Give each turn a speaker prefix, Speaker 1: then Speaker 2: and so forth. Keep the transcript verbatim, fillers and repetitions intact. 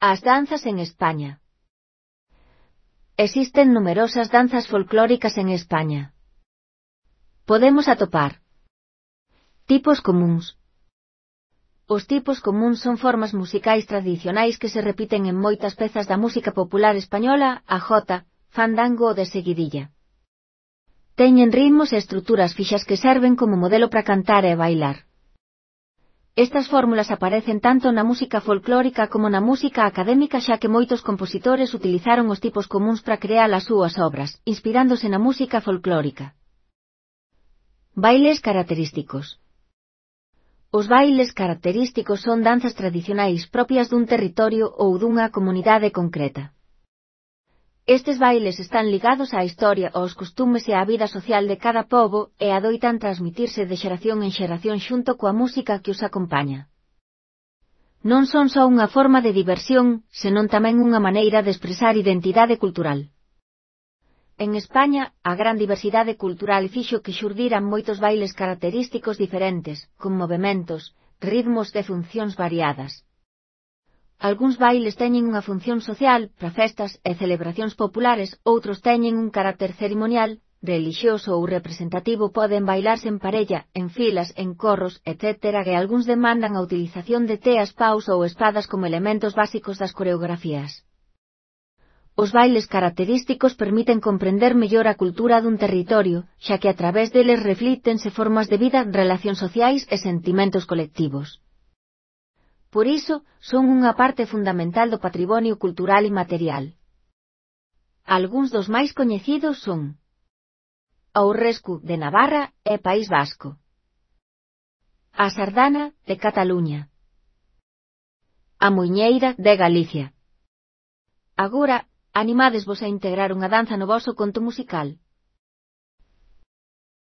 Speaker 1: As danzas en España. Existen numerosas danzas folclóricas en España. Podemos atopar tipos comúns. Os tipos comúns son formas musicais tradicionais que se repiten en moitas pezas da música popular española, a jota, fandango ou de seguidilla. Teñen ritmos e estruturas fixas que serven como modelo para cantar e bailar. Estas fórmulas aparecen tanto na música folclórica como na música académica, xa que moitos compositores utilizaron os tipos comúns para crear as súas obras, inspirándose na música folclórica. Bailes característicos. Os bailes característicos son danzas tradicionais propias dun territorio ou dunha comunidade concreta. Estes bailes están ligados á historia, aos costumes e á vida social de cada pobo e adoitan transmitirse de xeración en xeración xunto coa música que os acompaña. Non son só unha forma de diversión, senón tamén unha maneira de expresar identidade cultural. En España, a gran diversidade cultural fixo que xurdiran moitos bailes característicos diferentes, con movementos, ritmos e funcións variadas. Algúns bailes teñen unha función social, para festas e celebracións populares, outros teñen un carácter ceremonial, relixioso ou representativo, poden bailarse en parella, en filas, en corros, etcétera, e algúns demandan a utilización de teas, paus ou espadas como elementos básicos das coreografías. Os bailes característicos permiten comprender mellor a cultura dun territorio, xa que a través deles reflíctense formas de vida, relacións sociais e sentimentos colectivos. Por iso, son unha parte fundamental do patrimonio cultural e material. Algúns dos máis coñecidos son o Aurrescu de Navarra e País Vasco, a Sardana de Cataluña, a Muiñeira de Galicia. Agora, animádesvos a integrar unha danza no voso conto musical.